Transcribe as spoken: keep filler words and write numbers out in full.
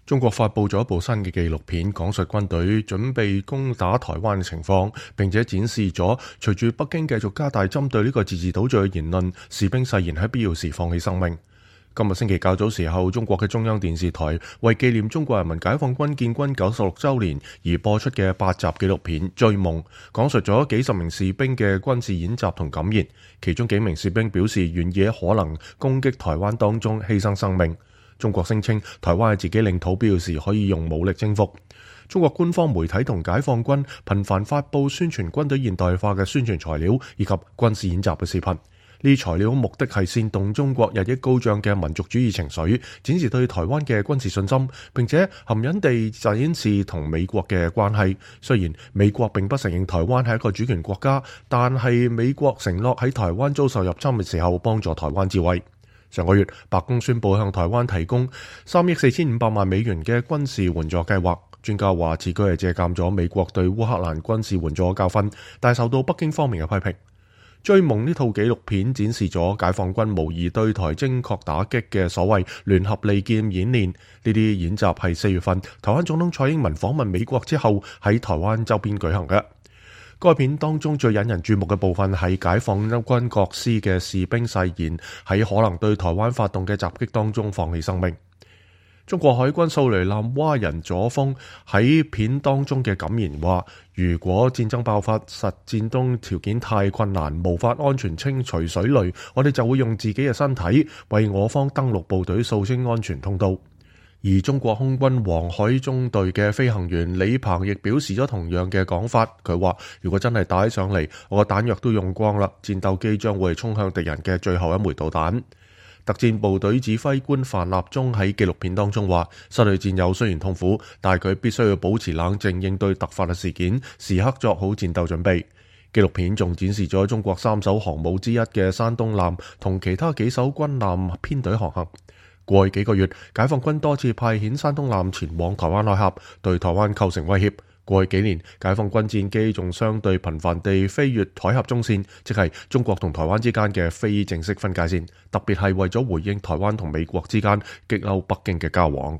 中國發佈咗一部新嘅紀錄片，講述軍隊準備攻打台灣嘅情況，並且展示咗隨住北京繼續加大針對呢個自治島嶼嘅言論，士兵誓言喺必要時放棄生命。今日星期較早時候，中國嘅中央電視台為紀念中國人民解放軍建軍九十六週年而播出嘅八集紀錄片《追夢》，講述咗幾十名士兵嘅軍事演習同感言。其中幾名士兵表示願意喺可能攻擊台灣當中犧牲生命。中國聲稱台灣係自己領土，必要時可以用武力征服。中國官方媒體同解放軍頻繁發布宣傳軍隊現代化嘅宣傳材料以及軍事演習嘅視頻。呢啲材料目的係煽動中國日益高漲嘅民族主義情緒，展示對台灣嘅軍事信心，並且含隱地展示同美國嘅關係。雖然美國並不承認台灣係一個主權國家，但係美國承諾喺台灣遭受入侵嘅時候幫助台灣自衛。上個月，白宮宣布向台灣提供三億四千五百萬美元嘅軍事援助計劃。專家話此舉係借鑑咗美國對烏克蘭軍事援助嘅教訓，但受到北京方面嘅批評。追夢呢套紀錄片展示咗解放軍模擬對台精確打擊嘅所謂聯合利劍演練。呢啲演習係四月份台灣總統蔡英文訪問美國之後喺台灣周邊舉行嘅。該片當中最引人注目嘅部分係解放軍各師嘅士兵誓言喺可能對台灣發動嘅襲擊當中放棄生命。中國海軍掃雷艦蛙人左峰喺片當中嘅感言話：如果戰爭爆發，實戰中條件太困難，無法安全清除水雷，我哋就會用自己嘅身體為我方登陸部隊掃清安全通道。而中國空軍黃海中隊嘅飛行員李鵬亦表示咗同樣嘅講法。佢話：如果真係打起上嚟，我個彈藥都用光啦，戰鬥機將會衝向敵人嘅最後一枚導彈。特戰部隊指揮官范立忠喺紀錄片當中話：失去戰友雖然痛苦，但係佢必須要保持冷靜應對突發嘅事件，時刻作好戰鬥準備。紀錄片仲展示咗中國三艘航母之一嘅山東艦同其他幾艘軍艦編隊航行。過去幾個月，解放軍多次派遣山東艦前往台灣海峽，對台灣構成威脅。過去幾年，解放軍戰機仲相對頻繁地飛越海峽中線，即係中國同台灣之間嘅非正式分界線，特別係為咗回應台灣同美國之間激嬲北京嘅交往。